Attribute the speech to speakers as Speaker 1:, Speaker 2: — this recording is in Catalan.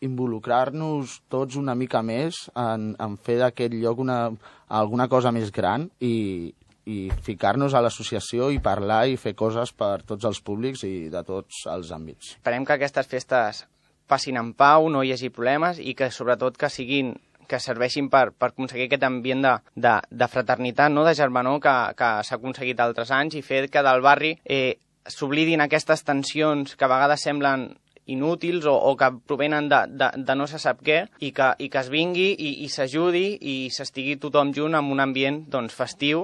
Speaker 1: involucrar-nos tots una mica més en fer d'aquest lloc alguna cosa més gran i ficar-nos a l'associació i parlar i fer coses per tots els públics i de tots els àmbits.
Speaker 2: Esperem que aquestes festes passin en pau, no hi hagi problemes i que sobretot que serveixin per aconseguir aquest ambient de fraternitat, no? De germanor que s'ha aconseguit altres anys i fer que del barri s'oblidin aquestes tensions que a vegades semblen inútils o que provenen de no se sap què i que es vingui i s'ajudi i s'estigui tothom junt en un ambient festiu.